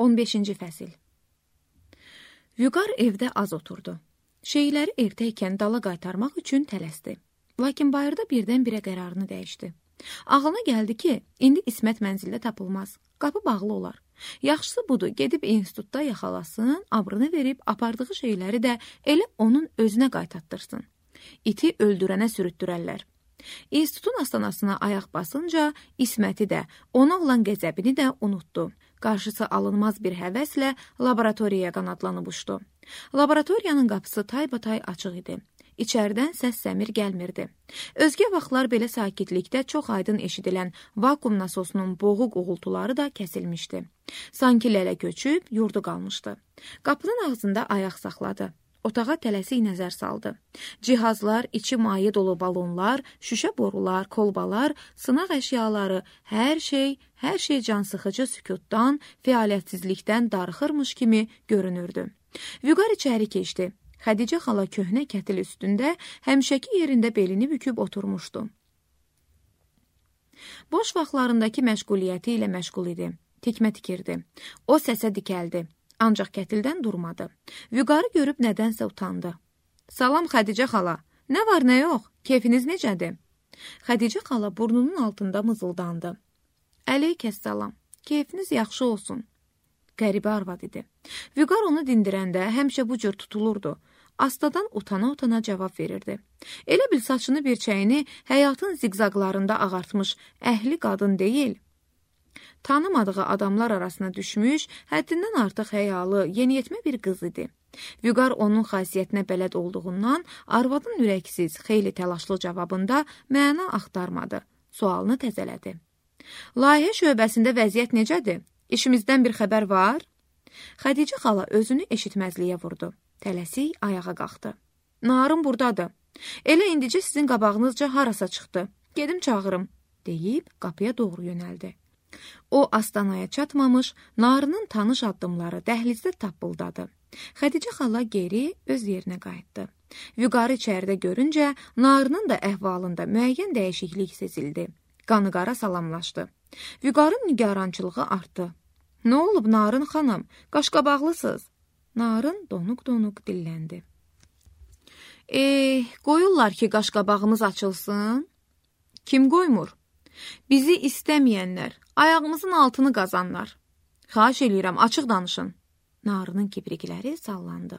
15-ci fəsil. Vüqar evdə az oturdu. Şeyləri ertə ikən dala qaytarmaq üçün tələsdi. Lakin bayırda birdən-birə qərarını dəyişdi. Ağlına gəldi ki, indi İsmət mənzildə tapılmaz. Qapı bağlı olar. Yaxşısı budur, gedib institutda yaxalasın, abrını verib apardığı şeyləri də elə onun özünə qaytatdırsın. İti öldürənə sürütdürərlər. İnstitutun astanasına ayaq basınca İsməti də, ona olan qəzəbini də unutdu. Qarşısı alınmaz bir həvəslə laboratoriyaya qanadlanıb uçdu. Laboratoriyanın qapısı taybatay açıq idi. İçərdən səs səmir gəlmirdi. Özgə vaxtlar belə sakitlikdə çox aydın eşidilən vakuum nasosunun boğuq uğultuları da kəsilmişdi. Sanki lələ köçüb, yurdu qalmışdı. Qapının ağzında ayaq saxladı. Otağa tələsik nəzər saldı. Cihazlar, içi maye dolu balonlar, şüşə borular, kolbalar, sınaq əşyaları, hər şey cansıxıcı sükutdan, fəaliyyətsizlikdən darıxırmış kimi görünürdü. Vüqar içəri keçdi. Xədicə xala köhnə kətil üstündə həmişəki yerində belini büküb oturmuşdu. Boş vaxtlarındakı məşğuliyyəti ilə məşğul idi. Tikmə tikirdi. O səsə dikəldi. Ancaq kətildən durmadı. Vüqarı görüb nədənsə utandı. Salam Xədicə xala. Nə var, nə yox? Keyfiniz necədir? Xədicə xala burnunun altında mızıldandı. Əleykəssalam. Keyfiniz yaxşı olsun. Qəribə arvad idi. Vüqar onu dindirəndə həmişə bu cür tutulurdu. Astadan utana-utana cavab verirdi. Elə bil saçını bir çəyini həyatın ziqzaqlarında ağartmış əhli qadın deyil, tanımadığı adamlar arasına düşmüş, həddindən artıq həyalı, yeniyetmə bir qız idi. Vüqar onun xasiyyətinə bələd olduğundan arvadın ürəksiz, xeyli təlaşlı cavabında məna axtarmadı. Sualını təzələdi. Layihə şöbəsində vəziyyət necədir? İşimizdən bir xəbər var? Xədicə xala özünü eşitməzliyə vurdu. Tələsik ayağa qalxdı. Narın buradadır. Elə indicə sizin qabağınızca harasa çıxdı. Gedim çağırım, deyib qapıya doğru yönəldi. O astanaya çatmamış, Narının tanış addımları dəhlizdə tappıldadı. Xədicə xala geri öz yerinə qayıtdı. Vüqarı içəridə görüncə, Narının da əhvalında müəyyən dəyişiklik sezildi. Qanıqara salamlaşdı. Vüqarın nigarançılığı artdı. Nə olub Narın xanım? Qaşqabaqlısınız. Narın donuq-donuq dilləndi. Qoyurlar ki, qaşqabağımız açılsın. Kim qoymur? Bizi istəməyənlər, ayağımızın altını qazanlar. Xahiş eləyirəm, açıq danışın. Narının kibrikləri sallandı.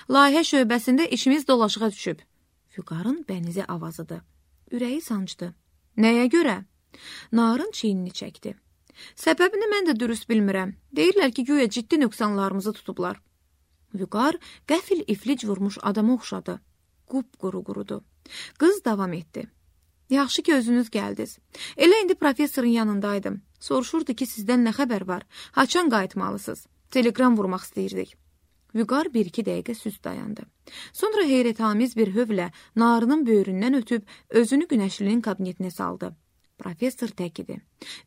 Layihə şöbəsində işimiz dolaşığa düşüb. Vüqarın bənizi avazıdır. Ürəyi sancdı. Nəyə görə? Narın çiynini çəkdi. Səbəbini mən də dürüst bilmirəm. Deyirlər ki, güya ciddi nöqsanlarımızı tutublar. Vüqar qəfil iflic vurmuş adama oxşadı. Qupquru qurudu. Qız davam etdi. Yaxşı ki, özünüz gəldiniz. Elə indi professorun yanındaydım. Soruşurdu ki, sizdən nə xəbər var? Haçan qayıtmalısınız? Telegram vurmaq istəyirdik. Vüqar 1-2 dəqiqə süst dayandı. Sonra heyrətamiz bir hövlə Narının böyründən ötüb özünü Günəşlinin kabinetinə saldı. Professor tək idi.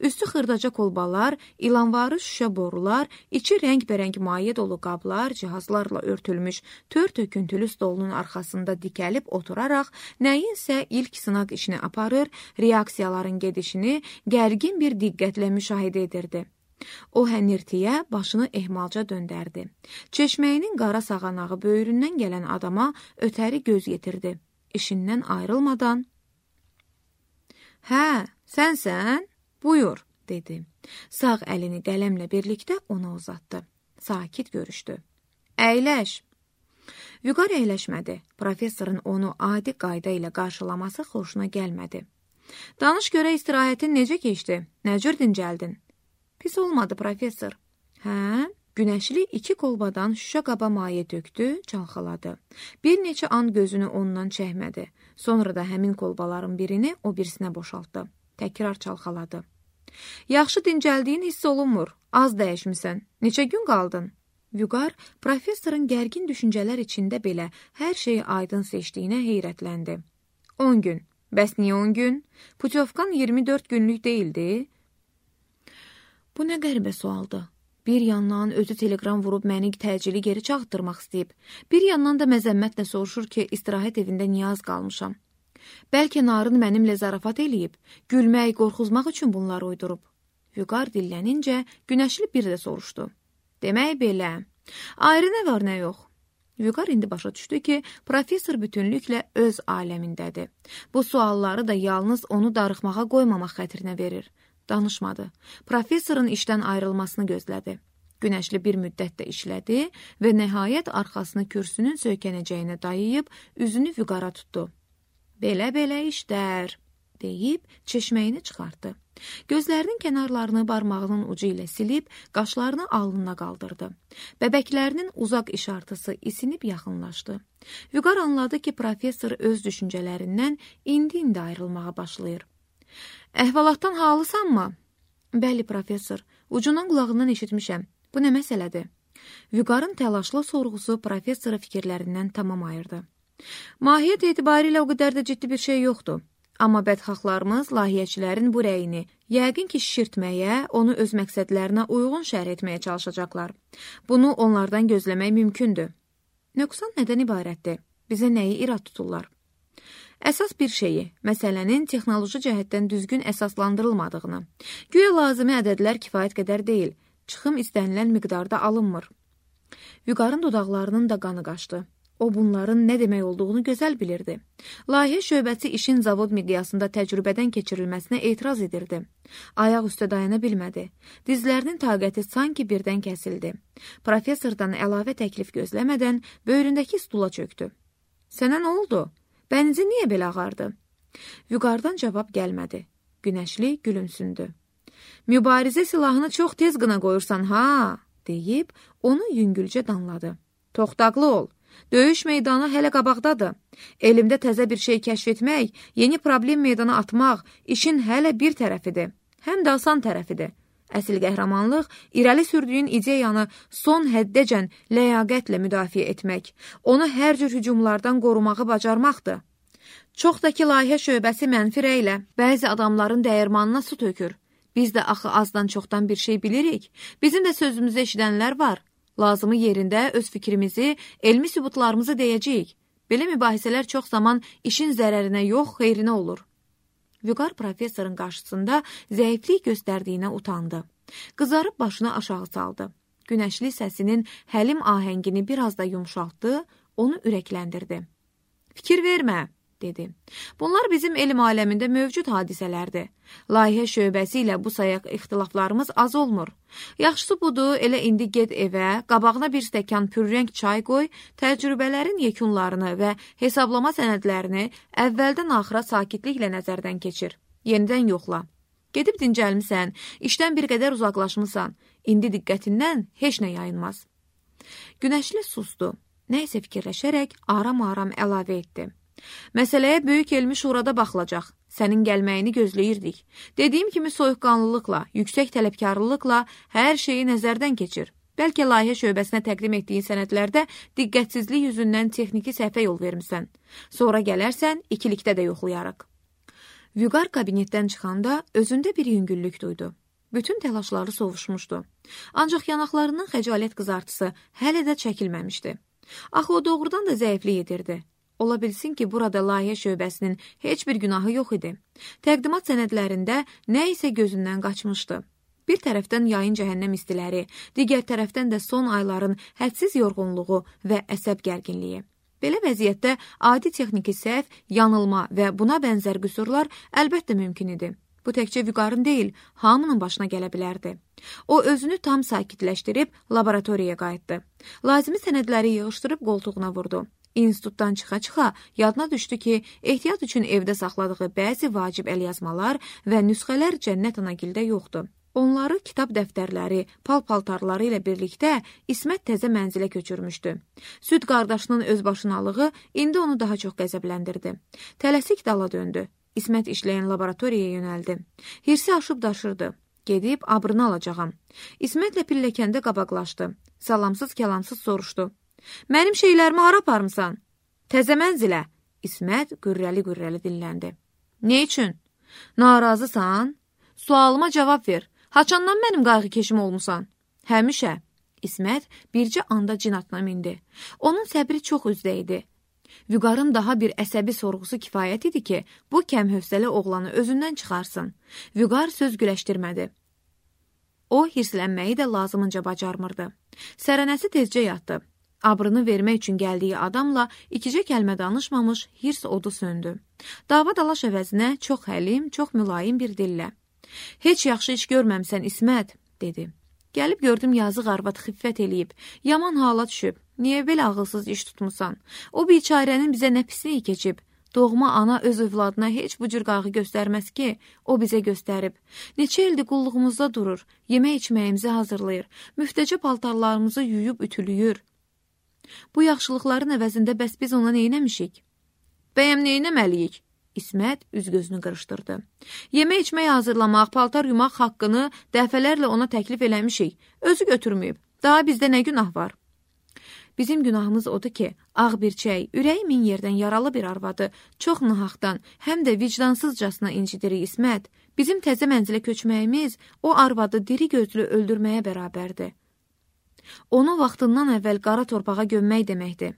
Üstü xırdaca kolbalar, ilanvarı şüşə borular, içi rəng-bərəng maye dolu qablar, cihazlarla örtülmüş tör töküntülü stolunun arxasında dikəlib oturaraq nəyinsə ilk sınaq işini aparır, reaksiyaların gedişini gərgin bir diqqətlə müşahidə edirdi. O hənirtiyə başını ehmalca döndərdi. Çeşməyinin qara sağanağı böyründən gələn adama ötəri göz yetirdi. İşindən ayrılmadan Hə, sənsən? Buyur, dedi. Sağ əlini qələmlə birlikdə ona uzatdı. Sakit görüşdü. Əyləş. Vüqar əyləşmədi. Professorun onu adi qayda ilə qarşılaması xoşuna gəlmədi. Danış görə istirahətin necə keçdi? Nə cür dincəldin? Pis olmadı, professor. Hə? Günəşli 2 kolbadan şüşə qaba maye tökdü, çalxaladı. Bir neçə an gözünü ondan çəkmədi. Sonra da həmin kolbaların birini o birisinə boşaltdı. Təkrar çalxaladı. Yaxşı dincəldiyin hiss olunmur. Az dəyişmisən. Neçə gün qaldın? Vüqar, professorun gərgin düşüncələr içində belə hər şeyi aydın seçdiyinə heyrətləndi. 10 gün. Bəs niyə 10 gün? Putyovkan 24 günlük deyildi. Bu nə qəribə sualdı. Bir yandan özü telegram vurub məni təcili geri çağıtdırmaq istəyib. Bir yandan da məzəmmətlə soruşur ki, istirahət evində niyə az qalmışam. Bəlkə Narın mənimlə zarafat eləyib, gülmək, qorxuzmaq üçün bunları uydurub. Vüqar dillənincə Günəşli bir də soruşdu. Demək belə. Ayrı nə var, nə yox? Vüqar indi başa düşdü ki, professor bütünlüklə öz aləmindədir. Bu sualları da yalnız onu darıxmağa qoymamaq xətrinə verir. Danışmadı. Professorun işdən ayrılmasını gözlədi. Günəşli bir müddət də işlədi və nəhayət arxasını kürsünün söykənəcəyinə dayayıb, üzünü Vüqara tutdu. Belə-belə işlər, deyib çeşməyini çıxartdı. Gözlərinin kənarlarını barmağının ucu ilə silib, qaşlarını alnına qaldırdı. Bəbəklərinin uzaq işartısı isinib yaxınlaşdı. Vüqar anladı ki, professor öz düşüncələrindən indi-indi ayrılmağa başlayır. Əhvalatdan halısanmı? Bəli, professor, ucundan qulağından eşitmişəm. Bu nə məsələdir? Vüqarın təlaşlı sorğusu professoru fikirlərindən tamam ayırdı. Mahiyyət etibarilə o qədər də ciddi bir şey yoxdur. Amma bədxahlarımız layihəçilərin bu rəyini yəqin ki şişirtməyə, onu öz məqsədlərinə uyğun şərh etməyə çalışacaqlar. Bunu onlardan gözləmək mümkündür. Nöqsan nədən ibarətdir? Bizə nəyi irad tuturlar? Əsas bir şeyi, məsələnin texnoloji cəhətdən düzgün əsaslandırılmadığını, güya lazımi ədədlər kifayət qədər deyil, çıxım istənilən miqdarda alınmır. Vüqarın dodaqlarının da qanı qaçdı. O bunların nə demək olduğunu gözəl bilirdi. Layihə şöbəsi işin zavod miqyasında təcrübədən keçirilməsinə etiraz edirdi. Ayaq üstə dayana bilmədi. Dizlərinin taqəti sanki birdən kəsildi. Professordan əlavə təklif gözləmədən böyründəki stula çöktü. Sənə nə oldu? Bənizi niyə belə ağardı? Vüqardan cavab gəlmədi. Günəşli gülümsündü. Mübarizə silahını çox tez qına qoyursan, ha? Deyib onu yüngülcə danladı. Toxtaqlı ol. Döyüş meydanı hələ qabaqdadır. Elimdə təzə bir şey kəşf etmək, yeni problem meydana atmaq işin hələ bir tərəfidir. Həm də asan tərəfidir. Əsl qəhrəmanlıq, irəli sürdüyün ideyanı son həddəcən ləyaqətlə müdafiə etmək, onu hər cür hücumlardan qorumağı bacarmaqdır. Çox da ki, layihə şöbəsi mənfi rəylə bəzi adamların dəyirmanına su tökür. Biz də axı azdan çoxdan bir şey bilirik. Bizim də sözümüzü eşidənlər var. Lazımı yerində öz fikrimizi, elmi sübutlarımızı deyəcəyik. Belə mübahisələr çox zaman işin zərərinə yox, xeyrinə olur. Vüqar professorun qarşısında zəiflik göstərdiyinə utandı. Qızarıb başını aşağı saldı. Günəşli səsinin həlim ahəngini biraz da yumşaltdı, onu ürəkləndirdi. Fikir vermə, dedi. Bunlar bizim elm aləmində mövcud hadisələrdir. Layihə şöbəsi ilə bu sayaq ixtilaflarımız az olmur. Yaxşısı budur, elə indi get evə, qabağına bir stəkan pürrəng çay qoy, təcrübələrin yekunlarını və hesablama sənədlərini əvvəldən axıra sakitliklə nəzərdən keçir. Yenidən yoxla. Gedib dincəlmisən, işdən bir qədər uzaqlaşmısan. İndi diqqətindən heç nə yayınmaz. Günəşli sustu. Nə isə fikirləşərək aram-aram əlavə etdi. Məsələyə böyük elmi şurada baxılacaq. Sənin gəlməyini gözləyirdik. Dediyim kimi soyuqqanlılıqla, yüksək tələbkarlılıqla hər şeyi nəzərdən keçir. Bəlkə layihə şöbəsinə təqdim etdiyin sənədlərdə diqqətsizlik yüzündən texniki səhvə yol vermisən. Sonra gələrsən, ikilikdə də yoxlayarıq. Vüqar kabinetdən çıxanda özündə bir yüngüllük duydu. Bütün təlaşları sovuşmuşdu. Ancaq yanaqlarının xəcalət qızartısı hələ də çəkilməmişdi. Axı o doğrudan da zəiflik edirdi. Ola bilsin ki, burada layihə şöbəsinin heç bir günahı yox idi. Təqdimat sənədlərində nə isə gözündən qaçmışdı. Bir tərəfdən yayın cəhənnəm istiləri, digər tərəfdən də son ayların hədsiz yorğunluğu və əsəb gərginliyi. Belə vəziyyətdə adi texniki səhv, yanılma və buna bənzər qüsurlar əlbəttə mümkün idi. Bu təkcə Vüqarın deyil, hamının başına gələ bilərdi. O özünü tam sakitləşdirib laboratoriyaya qayıtdı. Lazımi sənədləri yığışdırıb qoltuğuna vurdu. İnstitutdan çıxa-çıxa yadına düşdü ki, ehtiyat üçün evdə saxladığı bəzi vacib əlyazmalar və nüsxələr Cənnət Anagildə yoxdur. Onları kitab dəftərləri, pal-paltarları ilə birlikdə İsmət təzə mənzilə köçürmüşdü. Süd qardaşının özbaşınalığı indi onu daha çox qəzəbləndirdi. Tələsik dala döndü. İsmət işləyən laboratoriyaya yönəldi. Hirsi aşıb daşırdı. Gedib abrını alacağam. İsmətlə pilləkəndə qabaqlaşdı. Salamsız-kəlamsız soruşdu. Mənim şeylərimi hara aparmısan? Təzə mənzilə. İsmət qürrəli-qürrəli dilləndi. Ne üçün? Narazısan? Sualıma cavab ver. Haçandan mənim qayğı keşim olmusan? Həmişə. İsmət bircə anda cin atına mindi. Onun səbri çox üzdə idi. Vüqarın daha bir əsəbi sorğusu kifayət idi ki, bu kəmhövsələ oğlanı özündən çıxarsın. Vüqar söz güləşdirmədi. O, hirslənməyi də lazımınca bacarmırdı. Sərənəsi tezcə yatdı. Abrını vermək üçün gəldiyi adamla ikicə kəlmə danışmamış hirs odu söndü. Dava dalaş əvəzinə çox həlim, çox mülayim bir dillə. Heç yaxşı iş görməmsən İsmət, dedi. Gəlib gördüm yazıq arvad xiffət eləyib, yaman hala düşüb. Niyə belə ağılsız iş tutmusan? O biçarənin bizə nə pisliyi keçib? Doğma ana öz övladına heç bu cür qağı göstərməz ki, o bizə göstərib. Neçə ildir qulluğumuzda durur, yemək içməyimizi hazırlayır, müftəcə paltarlarımızı yuyub ütülüyür. Bu yaxşılıqların əvəzində bəs biz ona neynəmişik? Bəyəm neynəməliyik? İsmət üz-gözünü qırışdırdı. Yemək içmək hazırlamaq, paltar yumaq haqqını dəfələrlə ona təklif eləmişik. Özü götürməyib. Daha bizdə nə günah var? Bizim günahımız odur ki, ağ birçək, ürəyi min yerdən yaralı bir arvadı, çox nahaqdan, həm də vicdansızcasına incidirik İsmət. Bizim təzə mənzilə köçməyimiz o arvadı diri gözlü öldürməyə bərabərdir. Onu vaxtından əvvəl qara torpağa gömmək deməkdir.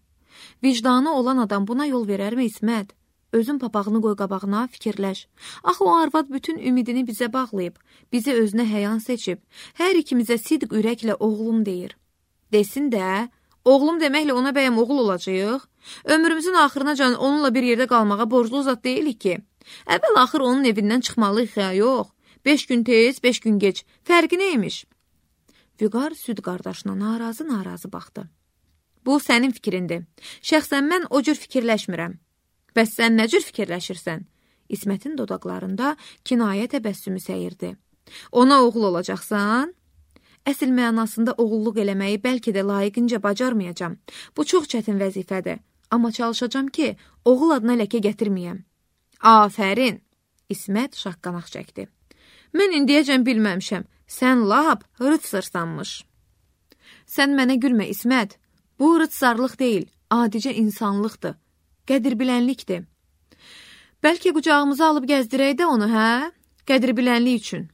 Vicdanı olan adam buna yol verərmi İsmət? Özün papağını qoy qabağına, fikirləş. Axı o arvad bütün ümidini bizə bağlayıb, bizi özünə həyan seçib, hər ikimizə sidq ürəklə oğlum deyir. Desin də, oğlum deməklə ona bəyəm oğul olacaq? Ömrümüzün axırınacan onunla bir yerdə qalmağa borclu zat deyilik ki. Əvvəl-axır onun evindən çıxmalıyıq ya, yox. 5 gün tez, 5 gün geç. Fərqi neymiş? Vüqar süd qardaşına narazı baxdı. Bu sənin fikrindir. Şəxsən mən o cür fikirləşmirəm. Bəs sən nə cür fikirləşirsən? İsmətin dodaqlarında kinayə təbəssümü səyirdi. Ona oğul olacaqsan? Əsl mənasında oğulluq eləməyi bəlkə də layiqincə bacarmayacam. Bu çox çətin vəzifədir. Amma çalışacağam ki, oğul adına ləkə gətirməyəm. Afərin! İsmət şaqqanaq çəkdi. Mən indiyəcən bilməmişəm. Sən lap rıtsırsanmış. Sən mənə gülmə İsmət. Bu rıtsarlıq deyil, adicə insanlıqdır. Qədirbilənlikdir. Bəlkə qucağımıza alıb gəzdirək də onu, hə? Qədirbilənlik üçün.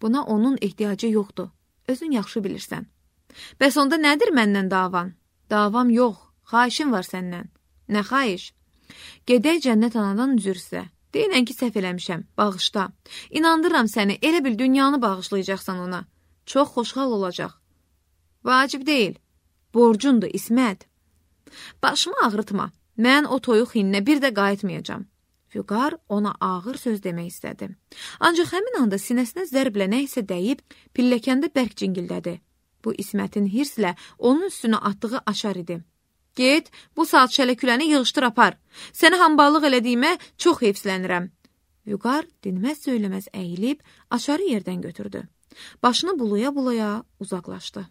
Buna onun ehtiyacı yoxdur. Özün yaxşı bilirsən. Bəs onda nədir məndən davan? Davam yox, xahişim var səndən. Nə xahiş? Gedək cənnət anadan üzr istə. Deyinən ki, səhv eləmişəm, bağışla. İnandırıram səni, elə bil dünyanı bağışlayacaqsan ona. Çox xoşhal olacaq. Vacib deyil. Borcundur, İsmət. Başımı ağrıtma. Mən o toyuq hinlə bir də qayıtmayacam. Vüqar ona ağır söz demək istədi. Ancaq həmin anda sinəsinə zərblə nə isə dəyib, pilləkəndə bərk cingildədi. Bu İsmətin hirslə onun üstünə atdığı aşar idi. Get, bu saat şələküləni yığışdır apar. Səni hamballıq elədiyimə çox heyfslənirəm. Vüqar dinməz söyləməz əyilib, aşarı yerdən götürdü. Başını bulaya-bulaya uzaqlaşdı.